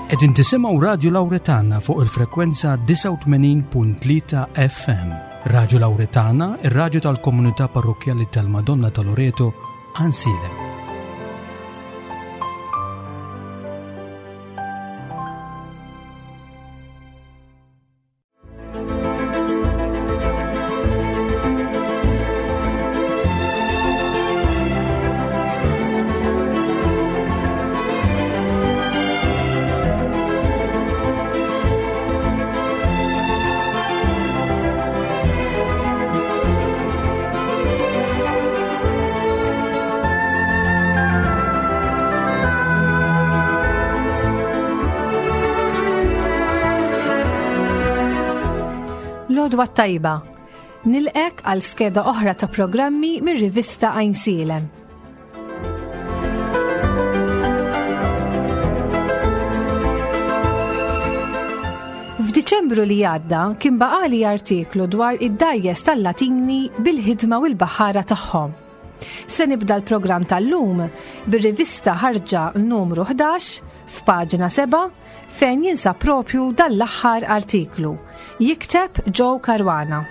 Qegħdin tisimgħu Radju Lawretana fuq il-frekwenza 89.3 FM. Radju Lawretana, ir-radju tal-komunità parrokkjali tal-Madonna ta' Loreto, Ansilem. L-għodwa t-tajba. Nilqek għal skeda oħra ta' programmi mir-rivista Għajnsielem. F'Diċembru li għadda kien baqali artiklu dwar id-dajjes tal-Latini bil-ħidma u l-baħħara tagħhom. Se nibda l-programm tal-lum bir-rivista ħarġa numru 11 f'paġna 7 fejn jinsab propju dan l-aħħar artiklu. Jikteb Joe Caruana.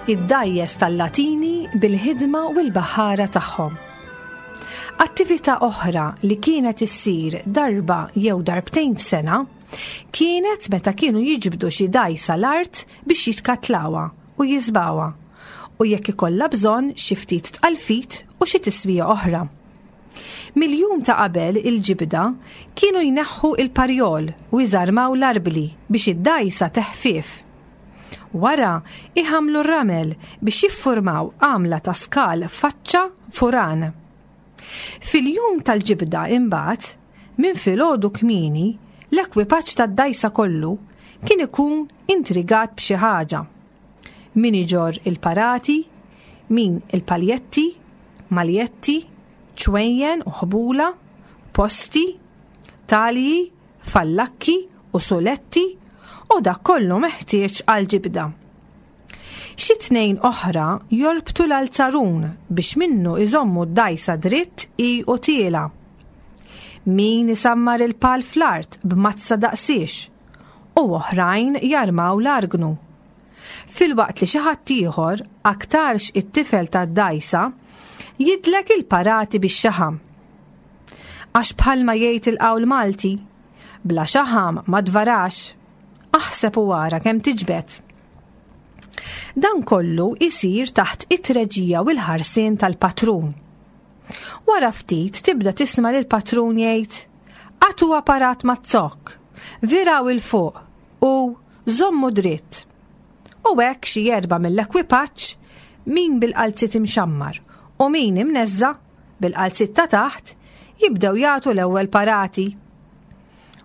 Id-dgħajjes tal-Latini bil-ħidma u l-baħħara tagħhom. Attività oħra li kienet issir darba jew darbtejn f'sena kienet meta kienu jiġbdu xi dgħajsa l-art biex jitkatlawha u jiżbgħuha u jekk ikollha bżonn xi ftit tqalfit u xi tiswija oħra. Mill-jum ta' qabel il-ġibda kienu jneħħu il-parjol u jżarmaw l-arbli biex id-dgħajsa teħfief. Wara, iħammlu r-ramel biex jiffurmaw għamla ta' skal faċċa furan. Fil-jum tal-ġibda imbagħad, minn filgħodu kmieni, l-ekwipaġġ tad-dgħajsa kollu kien ikun intrigat b'xi ħaġa. Min iġorr il-parati, min il-paljetti, maljetti, ċwejjen u ħbula, posti, talji, fallakki u suletti u dak kollu meħtieġ għall-ġibda. Xi tnejn oħra jorbtu l-alzarun biex minnu iżommu d-dgħajsa dritt hi u tiela'. Min isammar il-pal fl-art b'mazza daqsiex u oħrajn jarmaw l-argnu. Filwaqt li xi ħadd ieħor, aktarx it-tifel tad-dgħajsa, jidlek il-parati bix-xaħam. Għax bħalma jgħid il-qawl Malti, bla xaħam ma tvarax, aħseb u ara kemm tiġbed. Dan kollu isir taħt it-treġija u l-ħarsien tal-patrun. Wara ftit tibda tisma' lill-patrun jgħid, Agħtu apparat maz-zokk, viraw 'il fuq u żommu dritt. U hekk xi erbgħa mill-ekwipaġġ, min bil-qalziet imxammar u min imneżża' bil-qalziet ta' taħt, jibdew jagħtu l-ewwel parati.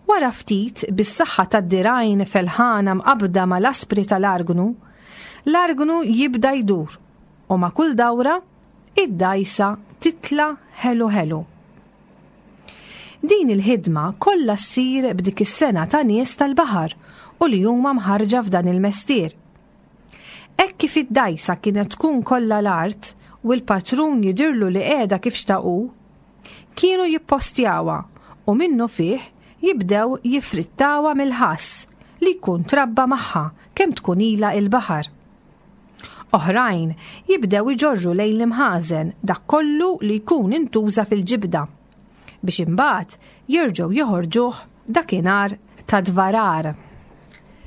Wara ftit, bis-saħħa tad-dirgħajn felħana mqabbda mal-aspri tal-argnu, l-argnu jibda jdur u ma' kull dawra, id-dgħajsa titla' ħelu ħelu. Din il-ħidma kollha ssir b'dik is-sengħa ta' nies tal-baħar u li huma mħarrġa f'dan il-mestier. Hekk kif id-dgħajsa kienet tkun kollha l-art u l-patrun jidhirlu li qiegħda kif xtaq hu, kienu jippostjawha u minnufih jibdew jiffrittawha mill-ħass li jkun trabba magħha kemm tkun ilha il-baħar. Oħrajn jibdew iġorru lejn l-imħażen dak kollu li jkun intuża fil-ġibda biex imbagħad jerġgħu joħorġuh dakinhar ta' dvarar.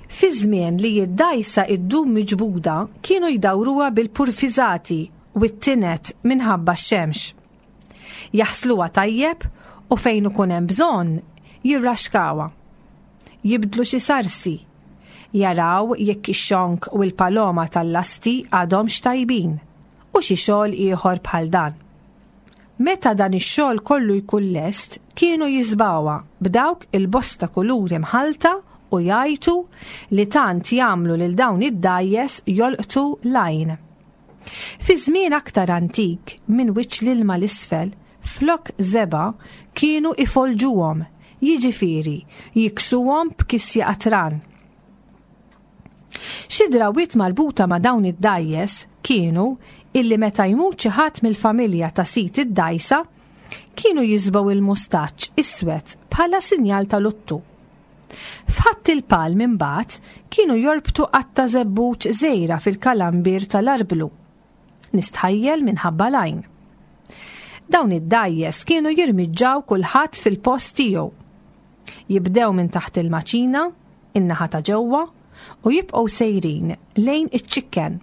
Fi żmien li d-dgħajsa ddum miġbuda kienu jdawruha bil-purfiżati u t-tinet minħabba x-xemx. Jaħsluha tajjeb u fejn ikun hemm bżonn jirraxkawha. Jibdlu xi sarsi. Jaraw jekk ix-xonk u l-paloma tal-lasti għadhomx tajbin u xi xogħol ieħor bħal dan. Meta dan ix-xogħol kollu jkun lest, kienu jiżbgħuha b'dawk il-bosta kuluri mħallta u jgħajtu li tant jagħmlu lil dawn id-dgħajjes jolqtu l-għajn. Fi żmien aktar antik, minn wiċċ l-ilma 'l isfel, flok żebgħa kienu ifolġuhom, jiġifieri jiksuhom b'kisja qatran. Xi drawwiet marbuta ma' dawn id-dgħajjes kienu illi meta jmut xi ħadd mill-familja ta' sid id-dgħajsa, kienu jiżbgħu il-mustaċċ iswed bħala sinjal ta' luttu. F'Ħadd il-Palm imbagħad kienu jorbtu qatta' żebbuġ żgħira fil-kalambier tal-arblu. Nistħajjel minħabba l-għajn. Dawn id-dgħajjes kienu jirmiġġaw kulħadd fil-post tiegħu. Jibdew minn taħt il-maċina, in-naħa ta' ġewwa, u jibqgħu sejrin lejn iċ-ċikken.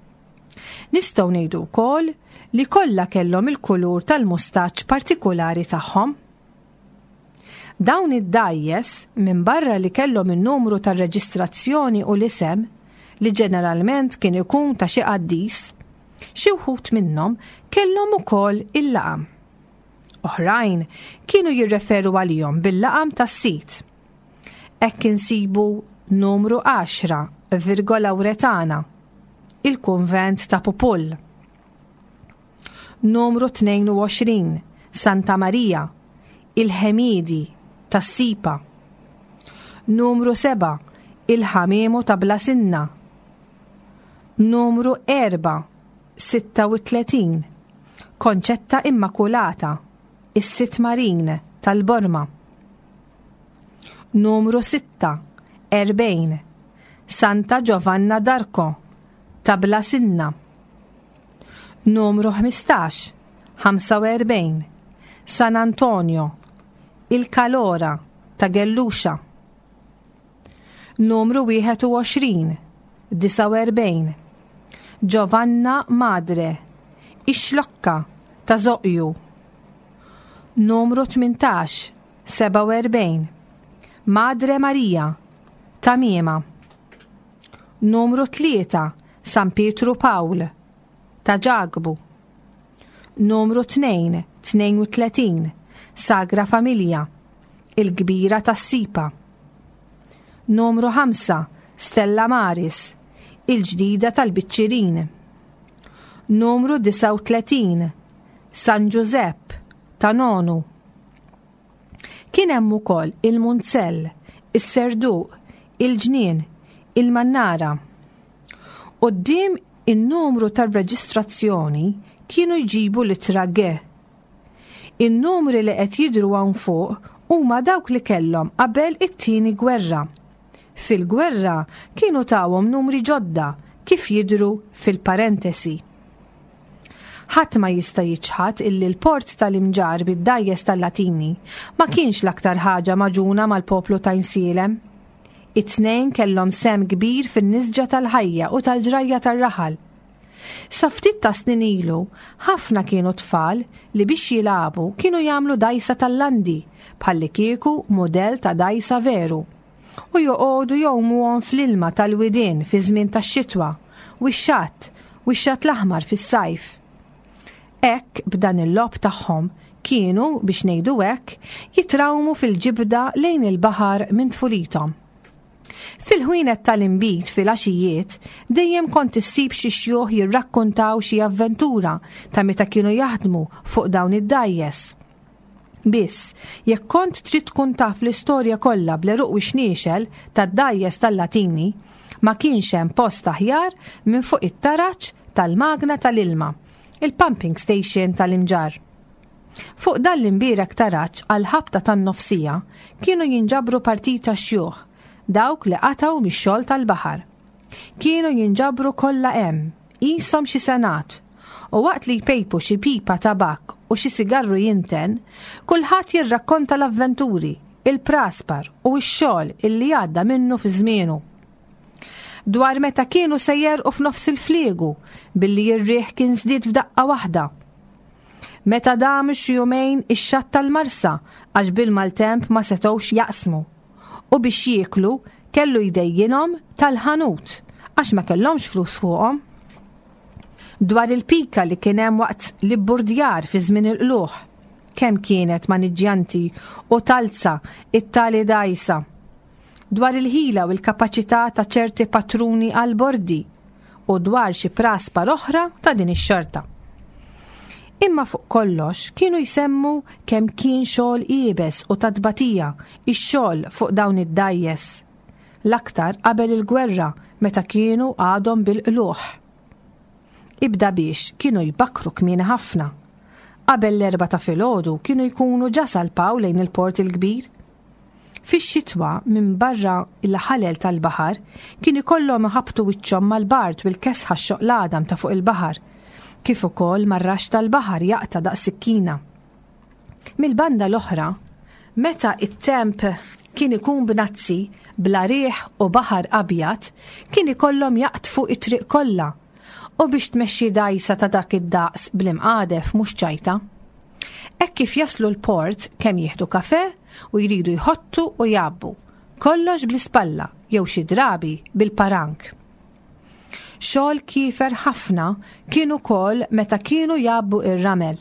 Nistgħu ngħidu wkoll li kollha kellhom il-kulur tal-mustaċċ partikulari tagħhom. Dawn id-dgħajjes, minbarra li kellhom in-numru tar-reġistrazzjoni u l-isem, li ġeneralment kien ikun ta' xi qaddis, xi wħud minnhom kellhom ukoll il-laqam. Oħrajn kienu jirreferu għalihom bil-laqam tas-sid. Hekk insibu numru 10, Virgo Lauretana, il-kunvent ta' Pupull. Numru 22, Santa Marija, il-Ħemiedi, tas-Sipa. Numru 7, il-Ħamiemu ta' Bla Sinna. Numru 4, 36, Konċetta Immakulata, is-Sitt Marin, tal-Borma. Numru 6, 40, Santa Giovanna d'Arco, ta' Bla Sinna. Numru 15, 45, San Antonio, il-Kalora ta' Gelluxa. Numru 21, 49, Giovanna Madre, ix-Xlokka ta' Zoqju. Numru 18, 47, Madre Maria, ta' Miema. Numru 3, San Pietru Pawl, ta' Ġakbu. Numru 2, 32, Sagra Familja, il-Kbira tas-Sipa. Numru 5, Stella Maris, il-Ġdida tal-Biċċirin. Numru 39, San Ġużepp, ta' Nonu. Kien hemm ukoll il-Munzell, is-Serduq, il-Ġnien, il-Mannara. Quddiem in-numru tar-reġistrazzjoni kienu jġibu l-ittra G. In-numri li qed jidhru hawn fuq huma dawk li kellhom qabel it-Tieni Gwerra. Fil-gwerra kienu tawhom numri ġodda kif jidhru fil-parentesi. Ħadd ma jista' jiċħad illi l-port tal-Imġarr bid-dgħajjes tal-Latini ma kienx l-aktar ħaġa magħġuna mal-poplu ta' Għinsielem. It-tnejn kellhom sehem kbir fin-nisġa tal-ħajja u tal-ġrajja tar-raħal. Sa ftit ta' snin ilu, ħafna kienu tfal li biex jilagħbu kienu jagħmlu dgħajsa tal-landi bħallikieku mudell ta' dgħajsa veru u joqogħdu jgħumuhom fl-ilma tal-widien fiż-żmien tax-xitwa u x-xatt u x-xatt l-aħmar fis-sajf. Hekk b'dan il-logħob tagħhom kienu, biex ngħidu hekk, jitrawmu fil-ġibda lejn il-baħar minn tfulithom. Fil-ħwienet tal-inbid filgħaxijiet dejjem kont issib xi xjuħ jirrakkuntaw xi avventura ta' meta kienu jaħdmu fuq dawn id-dgħajjes. Biss, jekk kont trid tkun taf l-istorja kollha bl-għeruq u x-xniexel tad-dgħajjes tal-Latini, ma kienx hemm post aħjar minn fuq it-taraġ tal-magna tal-ilma, il-pumping station tal-Imġarr. Fuq dan l-imbierek taraġ għall-ħabta tan-nofsija kienu jinġabru partita xjuħ, dawk li qatgħu mix-xogħol tal-baħar. Kienu jinġabru kollha hemm, qishom xi senat, u waqt li jpejpu xi pipa tabakk u xi sigarru jinten, kulħadd jirrakkonta l-avventuri, il-praspar u x-xogħol illi għadda minnu fi żmienu. Dwar meta kienu se jegħrqu f'nofs il-fliegu billi r-riħ kien żdied f'daqqa waħda. Meta damu xi jumejn ix-xatt tal-Marsa għax bil-maltemp ma setgħux jaqsmu. U biex jieklu kellu jdejjinhom tal-ħanut għax ma kellhomx flus fuqhom. Dwar il-pika li kien hemm waqt l-ibburdjar fi żmien il-qlugħ, kemm kienet maniġġjanti u talza it-tali dgħajsa. Dwar il-ħila u l-kapaċità ta' ċerti patruni għall-bordi. u dwar xi praspar oħra ta' din ix-xorta. Imma fuq kollox kienu jsemmu kemm kien xogħol iebes u ta' tbatija x-xogħol fuq dawn id-dgħajjes. L-aktar qabel il-gwerra meta kienu għadhom bil-qlugħ. Ibda biex kienu jbakkru kmieni ħafna. Qabel l-erbgħa ta' filgħodu kienu jkunu ġa salpaw lejn il-Port il-Kbir. Fix-xitwa, minbarra l-ħalel tal-baħar, kien ikollhom iħabbtu wiċċhom mal-bard u l-kesħa x-xoqq l-għadam ta' fuq il-baħar, kif ukoll mar-raxx tal-baħar jaqta' daqs sikkina. Mill-banda l-oħra, meta t-temp kien ikun bnazzi, bla riħ u baħar abjad, kien ikollhom jaqdfu t-triq kollha u biex tmexxi dgħajsa ta' dak id-daqs bl-imqadef mhux ċajta. Hekk kif jaslu l-port kemm jieħdu kafè u jridu jħottu u jgħabbu, kollox bl-ispalla jew xi drabi bil-parank. Xogħol kiefer ħafna kien ukoll meta kienu jgħabbu ir-ramel.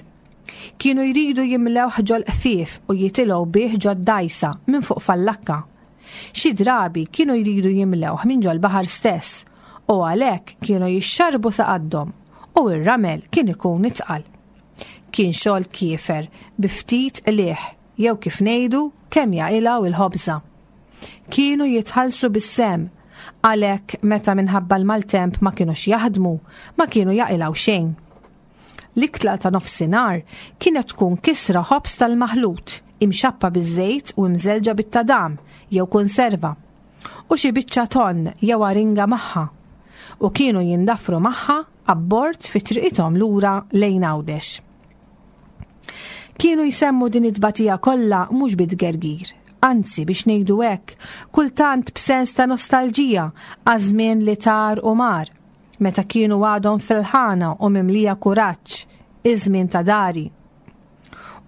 Kienu jridu jimlewh ġol-qfief u jitilgħu bih ġod-dgħajsa minn fuq fallakka. Xi drabi kienu jridu jimlewh minn ġol-baħar stess u għalhekk kienu jixxarrbu sa qaddhom u r-ramel kien ikun itqal. Kien xogħol kiefer bi ftit qligħ jew kif ngħidu kemm jaqilgħu l-ħobża. Kienu jitħallsu bis-sehem għalhekk meta minħabba l-maltemp ma kinux jaħdmu ma kienu jaqilgħu xejn. L-ikla ta' nofsinhar kienet tkun kisra ħobż tal-maħlut, imxappa biż-żejt u imżellġa bit-tadam jew kunserva, u xi biċċa tonn jew aringa magħha, u kienu jindafru magħha abbord fi triqithom lura lejn Għawdex. Kienu jsemmu din it-tbatija kollha mhux bi tgergir, anzi biex ngħidu hekk, kultant b'sens ta' nostalġija għaż-żmien li tar u mar, meta kienu għadhom fil-ħana u mimlija kuraġġ, iż-żmien ta' dari.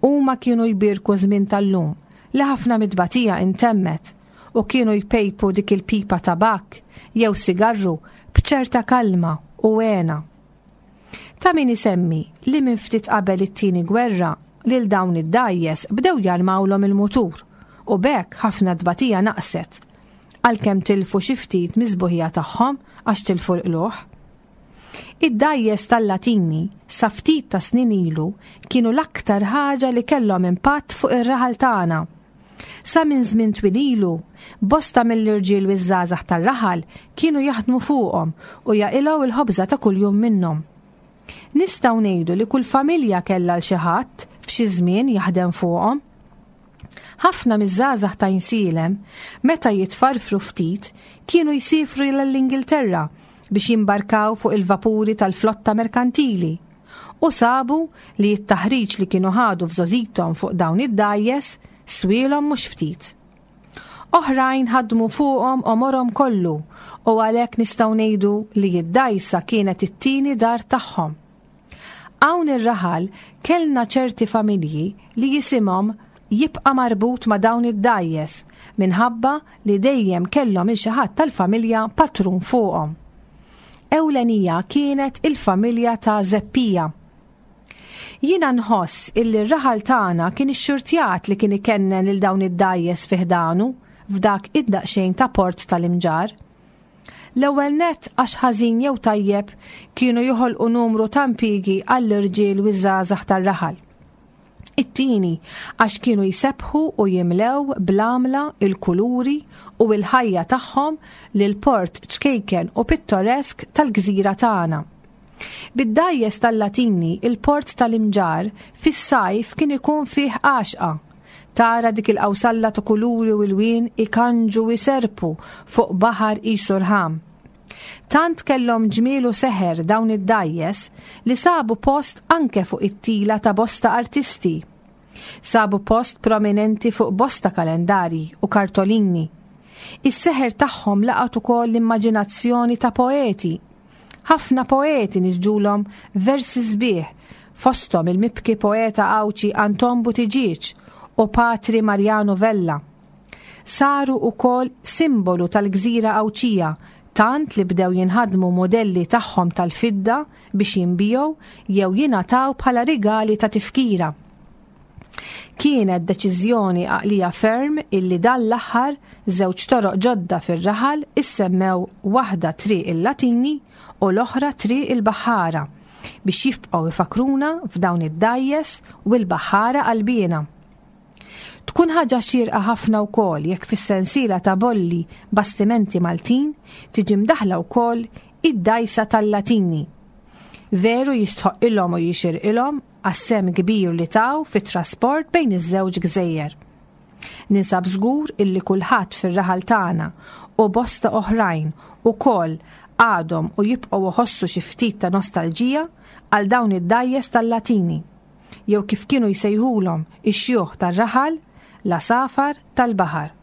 Huma kienu jbierku żmien tal-lum li ħafna mit-tbatija intemmet u kienu jpejpu dik il-pipa tabakk jew sigarru b'ċerta kalma u hena. Ta' min isemmi li minn ftit qabel it-tieni gwerra lil dawn id-dgħajjes bdew jarmawlhom il-mutur u b'hekk ħafna tbatija naqset għalkemm tilfu xi ftit mis-sbuħija tagħhom għax tilfu l-qlugħ. Id-dgħajjes tal-Latini sa ftit ta' snin ilu kienu l-aktar ħaġa li kellhom impatt fuq ir-raħal tagħna. Sa minn żmien twil ilu, bosta mill-irġiel u ż-żgħażagħ tar-raħal kienu jaħdmu fuqhom u jaqilgħu l-ħobża ta' kuljum minnhom. Nistgħu ngħidu li kull familja kellha 'l xi ħadd f'xi żmien jaħdem fuqhom. Ħafna miż-żgħażagħ ta' Għinsielem, meta jitfarfru ftit, kienu jsiefru l-Ingilterra biex jimbarkaw fuq il-vapuri tal-flotta merkantili u sabu li t-taħriġ li kienu ħadu f'żgħożithom fuq dawn id-dgħajjes swielhom mhux ftit. Oħrajn ħadmu fuqhom għomorhom kollu u għalhekk nistgħu ngħidu li d-dgħajsa kienet it-tieni dar tagħhom. Hawn ir-raħal kellna ċerti familji li jisimhom jibqa' marbut ma' dawn id-dgħajjes minħabba li dejjem kellhom 'il xi ħadd tal-familja patrun fuqhom. Ewlenija kienet il-familja ta' Żeppija. Jiena nħoss illi r-raħal tagħna kien ixxurtjat li kien ikennen lil dawn id-dgħajjes fi ħdanu f'dak id-daqsxejn ta' port tal-Imġarr. L-ewwel nett għax ħażin jew tajjeb kienu joħolqu numru ta' impjiegi għall-irġiel u ż-żgħażagħ tar-raħal. It-tieni għax kienu jsebbħu u jimlew bl-għamla, il-kuluri u l-ħajja tagħhom lill-port ċkejken u pittoresk tal-gżira tagħna. Bid-dgħajjes tal-Latini il-port tal-Imġarr fis-sajf kien ikun fih għaxqa Tara dik il-qawsalla ta' kuluri u lwien ikanġu u jserrpu fuq baħar qisu rħam. Tant kellhom ġmiel u seħer dawn id-dgħajjes li sabu post anke fuq it-tila ta' bosta artisti. Sabu post prominenti fuq bosta kalendarji u kartolini. Is-seħer tagħhom laqat ukoll l-immaġinazzjoni ta' poeti Ħafna poeti nisġulhom versi sbieħ, fosthom il-mibki poeta Għawdxi Anton Buttigieg u Patri Marjanu Vella. Saru wkoll simbolu tal-gżira Għawdxija tant li bdew jinħadmu mudelli tagħhom tal-fidda biex jinbiegħu jew jingħataw bħala rigali ta' tifkira. Kienet deċiżjoni għaqlija ferm illi dan l-aħħar żewġ toroq ġodda fir-raħal issemmew waħda Triq il-Latini u l-oħra Triq il-Baħħara biex jibqgħu jfakkruna f'dawn id-dgħajjes u l-baħħara qalbiena. Tkun ħaġa xierqa ħafna wkoll jekk fis-sensiela ta' bolli bastimenti Maltin tiġi mdaħħla wkoll id-dgħajsa tal-Latini. Veru jistħoqqilhom u jixirqilhom għas-sehem kbir li taw fit-trasport bejn iż-żewġ gżejjer. Ninsab żgur illi kulħadd fir-raħal tagħna u bosta oħrajn ukoll għadhom u jibqgħu iħossu xi ftit ta' nostalġija għal dawn id-dgħajjes tal-Latini. jew kif kienu jsejħulhom ix-xjuħ tar-raħal, l-għasafar tal-baħar.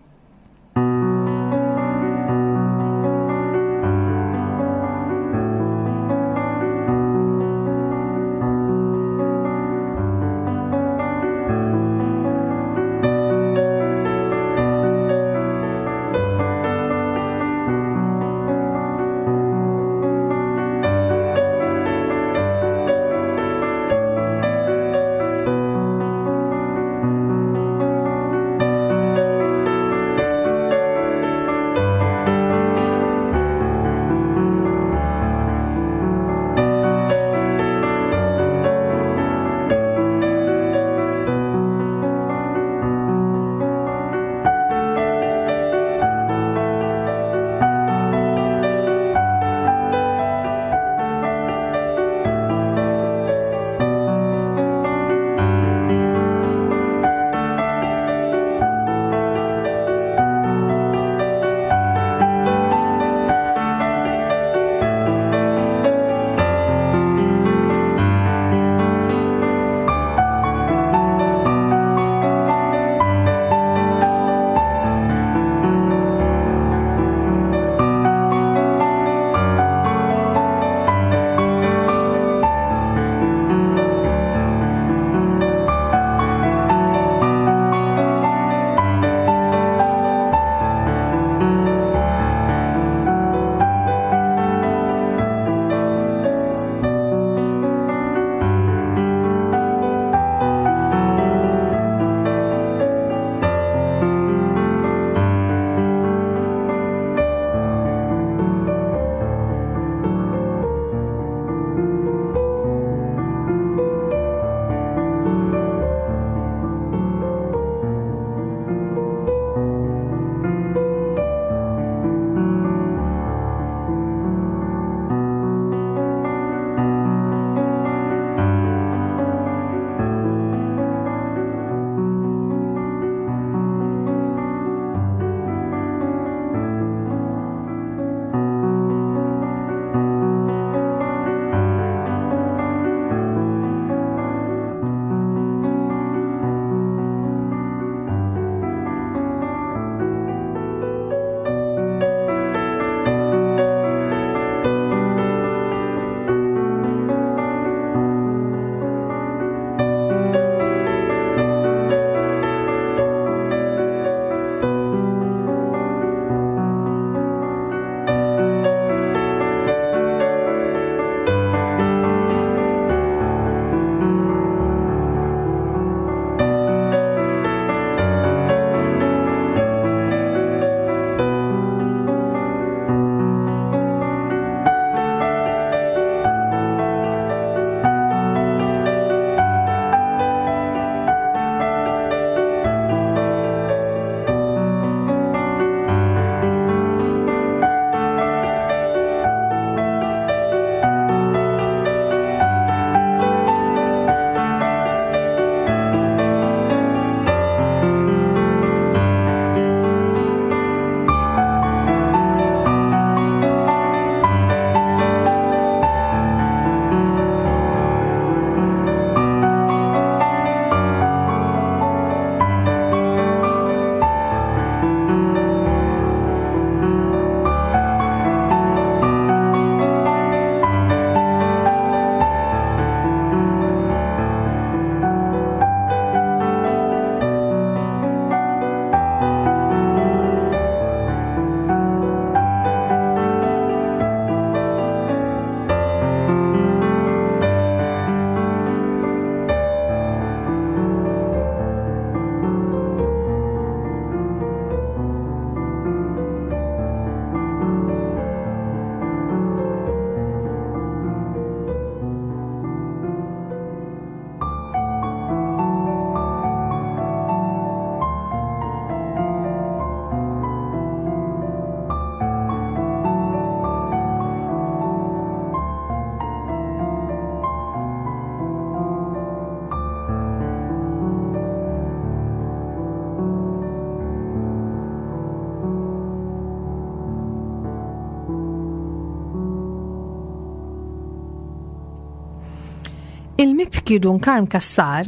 Il-mibki Dun Karm Cassar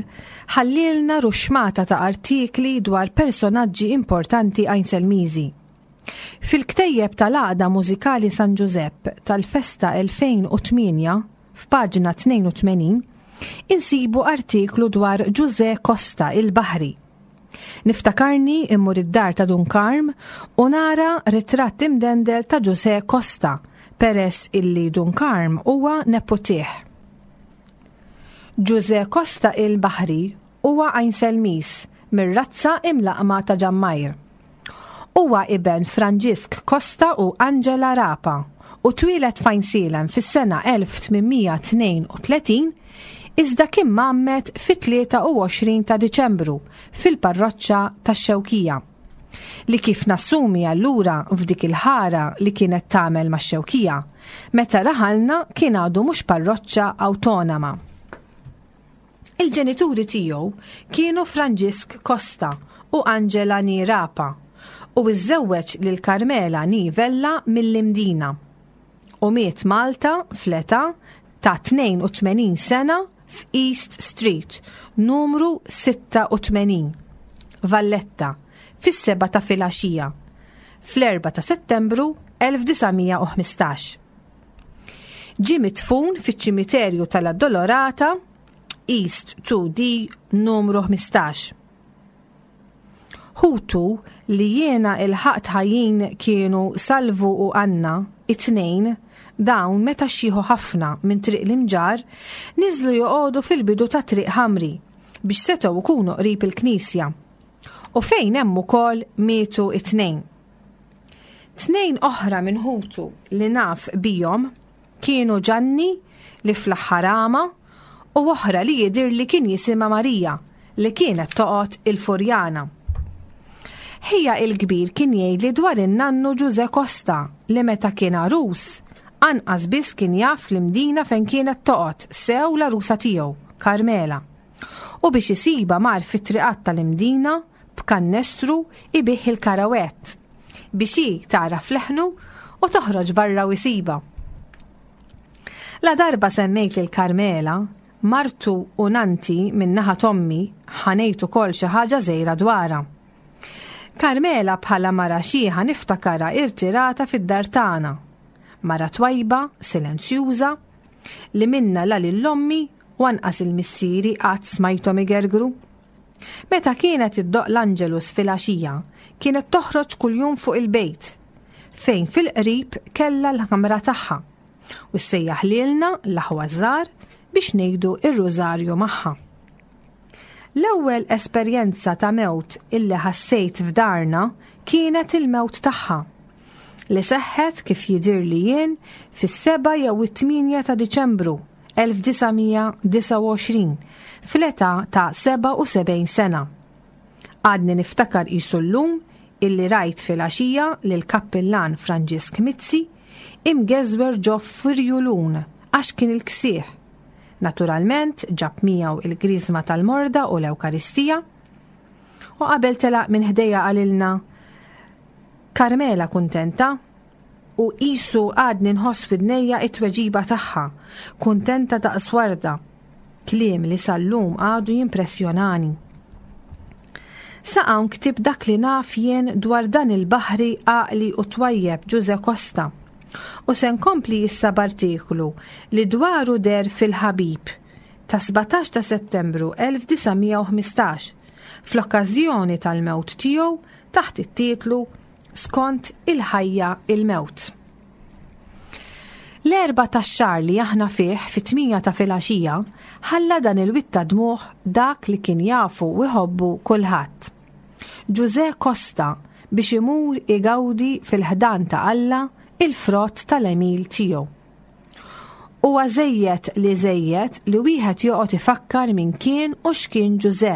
ħallielna ruxxmata ta' artikli dwar personaġġi importanti Għajnselmiżi. Fil-ktejjeb tal-Għaqda Mużikali San Ġużepp tal-Festa 2008, f'paġna 82, insibu artiklu dwar Ġużè Costa il-Baħri. Niftakarni immur id-dar ta' Dun Karm u nara ritratt imdendel ta' Ġużè Costa peress illi Dun Karm huwa neputih. Ġużè Costa il-Baħri huwa Għajnselmiż mir-razza imlaqqma ta' Ġammajr. Huwa iben Franġisk Costa u Angela Rapa u twieled f'Għajnsielem fis-sena 1832 iżda kien mgħammed fit-23 ta' Diċembru fil-parroċċa tax-Xewkija. Li kif nassumi allura f'dik il-ħara li kienet tagħmel max-Xewkija, meta raħalna kien għadu mhux parroċċa awtonoma. Il-ġenituri tiegħu kienu Franġisk Costa u Angela ni Rapa u iżżewweġ lil Carmela ni Vella mill-Imdina. U miet Malta fl-età ta' 82 sena f'East Street, numru 86, Valletta, fis-sebgħa ta' filgħaxija, fl-4 ta' Settembru 1915. Ġie midfun fiċ-ċimiterju tal-Addolorata, East 2D numru 15. Ħutu li jiena ilħaqt ħajjin kienu Salvu u Anna, it-tnejn, dawn meta xjieħu ħafna minn Triq l-Imġarr, niżlu joqogħdu fil-bidu ta' Triq Ħamri biex setgħu jkunu qrib il-knisja. U fejn hemm ukoll mietu it-tnejn. Tnejn oħra minn ħutu li naf bihom kienu Ġanni li fl-aħħar għama u oħra li jidhirli kien jisimha Marija li kienet toqgħod il-Furjana. Ħija il-kbir kien jgħidli dwar in-nannu Ġużè Costa li meta kien għarus, anqas biss kien jaf l-Imdina fejn kienet toqgħod sew l-għarusa tiegħu, Karmela. U biex isibha mar fit-triqat tal-Imdina b'kannestru ibigħ il-karawett biex hi tagħraf leħnu u toħroġ barra u jsibha. La darba semmejt lil Karmela, martu u nanti minn naħa t'ommi ħa ngħid ukoll xi ħaġa żgħira dwarha. Karmela bħala mara xiħa niftakarha irtirata fid-dar tagħna. Mara twajba, silenzjuża, li minna la lil ommi u anqas il-missieri qatt smajthom igergru. Meta kienet iddoqq l-Angelus filgħaxija, kienet toħroġ kuljum fuq il-bejt, fejn fil-qrib kellha l-kamra tagħha, u ssejjaħ lilna l-aħwa ż-żgħar biex ngħidu r-rużarju magħha. L-ewwel esperjenza ta' mewt illi ħassejt f'darna kienet il-mewt tagħha, li seħħet kif jidhirli jien fis-7 jew it-8 ta' Diċembru 1929 fl-età ta' 77 sena. Għadni niftakar qisu llum illi rajt filgħaxija lill-Kappillan Franġisk Mizzi imgeżwer ġo firjulun għax kien il-ksieħ. Naturalment ġab miegħu il-griżma tal-morda u l-Ewkaristija. U qabel telaq minn ħdejja qalilna, Carmela kuntenta? U qisu għadni nħoss f'widnejja t-tweġiba tagħha, kuntenta daqs warda. Kliem li sal-lum għadu jimpressjonani. Sa hawn ktibt dak li naf jien dwar dan il-baħri għaqli u twajjeb Ġużè Costa. U se nkompli issa b'artiklu li dwaru deher f'Il-Ħabib ta' 17 ta' Settembru 1915 fl-okkażjoni tal-mewt tiegħu taħt it-titlu skont il-ħajja il-mewt. L-Erbgħa tax-xahar li aħna fih fit-tmienja ta' filgħaxija ħalla dan il-wied ta' dmugħ dak li kien jafu u jħobbu kulħadd. Ġużè Costa biex imur igawdi fil-ħdan ta' Alla il-frott tal-għemil tiegħu. Huwa żejjed li żejjed li wieħed joqgħod ifakkar min kien u x'kien Ġużè,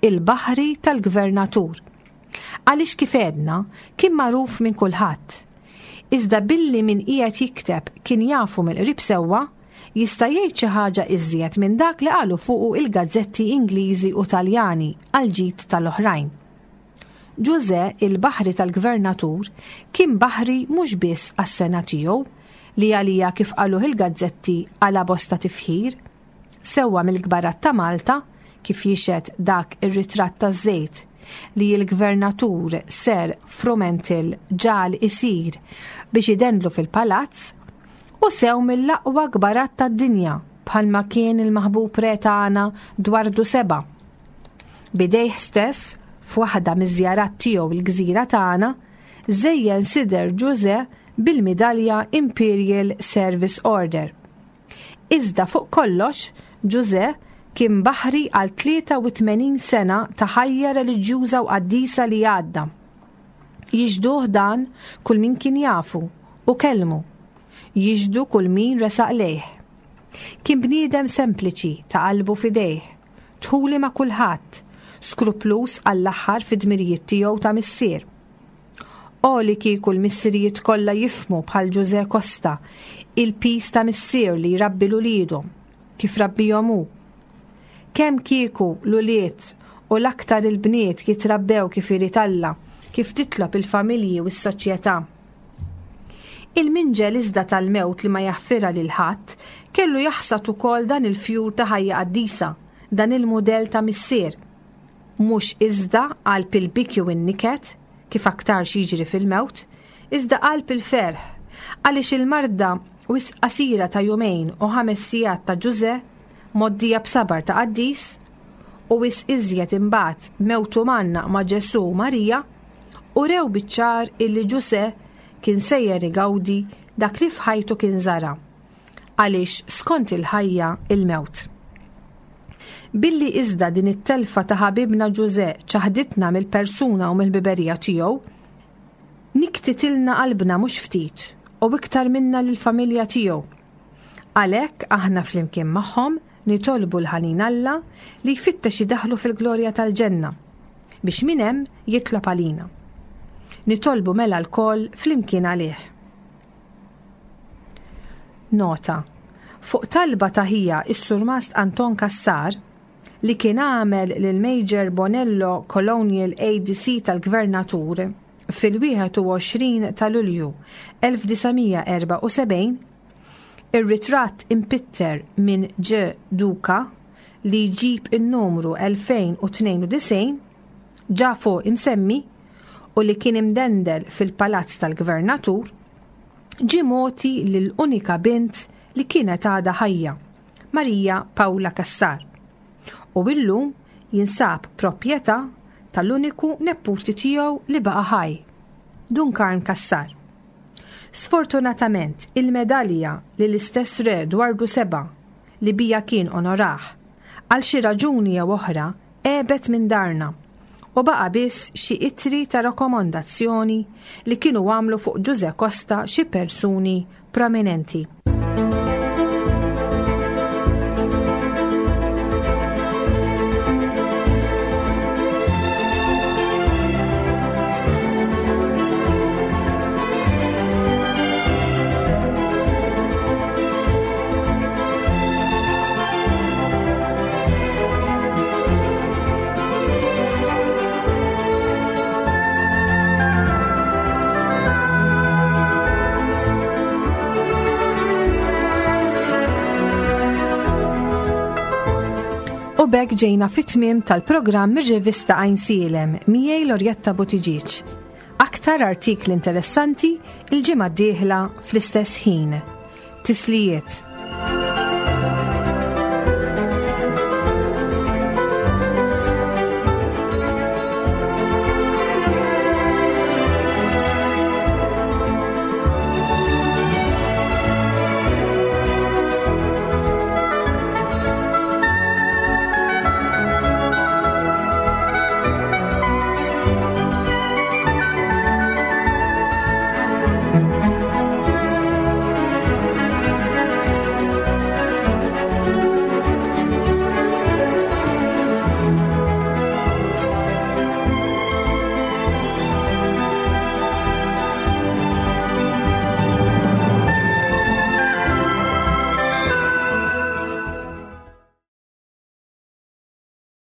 il-baħri tal-gvernatur. Għaliex kif għedna, kien magħruf minn kulħadd. Iżda billi min qiegħed jikteb kien jafu mill-qrib sewwa, jista' jgħid xi ħaġa iżjed minn dak li qalu fuqu il-gazzetti Ingliżi u Taljani għall-ġid tal-oħrajn. Ġużè, il-baħri tal-gvernatur, kien baħri mhux biss għas-sengħa tiegħu, li għaliha kif qaluh il-gazzetti qala' bosta tifħir. sewwa mill-kbarat ta' Malta, kif jixhed dak ir-ritratt taż-żejt li l-Gvernatur Sir Frumentil ġagħal isir biex idendlu fil-palazz, u sew mill-aqwa kbarat tad-dinja bħalma kien il-maħbub re tagħna Dwardu Seba'. B'idejh stess, f'waħda miż-żjarat tiegħu l-gżira tagħna, żejjen sider Ġużè bil-midalja Imperial Service Order. Iżda fuq kollox, Ġużè kien baħri għal 83 sena ta' ħajja reliġjuża u qaddisa li għadda. Jixhduh dan kull min kien jafu u kellmu. Jixhdu kull min resaq lejh. Kien bniedem sempliċi ta' qalbu f'idejh, dħuli ma' kulħadd, skrupluż għall-aħħar fid-dmirijiet tiegħu ta' missier. O li kieku l-missirijiet kollha jifhmu bħal Ġużè Costa il-piż ta' missier li jrabbi 'l uliedu, kif rabbihom hu. Kemm kieku l-ulied u l-aktar il-bniet jitrabbew kif irid Alla, kif titlob il-familji u s-soċjetà. Il-minġel iżda tal-mewt li ma jaħfirha lil ħadd kellu jaħsad ukoll dan il-fjur ta' ħajja qaddisa, dan il-mudell ta' missier. Mhux iżda qalb il-biki u n-niket, kif aktarx jiġri fil-mewt, iżda qalb il-ferħ, għaliex il-marda wisq qasira ta' jumejn u ħames sigħat ta' Ġużè, mgħoddija b'sabar ta' qaddis, u wisq iżjed imbagħad mewtu mgħannaq ma' Ġesù u Marija, urew biċ-ċar illi Ġużè kien sejjer igawdi dak li f'ħajtu kien żara'. għaliex skont il-ħajja il-mewt. Billi iżda din it-telfa ta' ħabibna Ġużè ċaħditna mill-persuna u mill-ħbiberija tiegħu, nikktitilna qalbna mhux ftit u iktar minna lill-familja tiegħu. Għalhekk aħna flimkien magħhom nitolbu l-ħanin Alla li jfittex idaħħlu fil-glorja tal-ġenna, biex minn hemm jitlob għalina. Nitolbu mela lkoll flimkien għalih. Nota, Fuq talba ta' ħija s-Surmast Anton Cassar, li kien għamel lil Major Bonello Colonial ADC tal-Gvernatur fil-21 ta' Lulju 1974, ir-ritratt impitter minn Ġ. Duca li jġib in-numru 2092, ġa fuq imsemmi, u li kien imdendel fil-palazz tal-Gvernatur, ġie mogħti lil unika bint li kienet għadha ħajja, Marija Paula Cassar, u illum jinsab proprjetà tal-uniku neputi tiegħu li baqa' ħaj, Dun Karm Cassar. Sfortunatament, il-medalja li l-istess Re Dwardu Seba' li bija kien onorah, għal xi raġuni jew oħra għebet minn darna u baqa' biss xi ittri ta' rakkomandazzjoni li kienu għamlu fuq Ġużè Costa xi persuni prominenti. U b'hekk ġejna fit-tmiem tal-programm mir-rivista Għajnsielem miegħi Lorjetta Buttigieg. Aktar artikli interessanti il-ġimgħa d-dieħla fl-istess ħin. Tislijiet.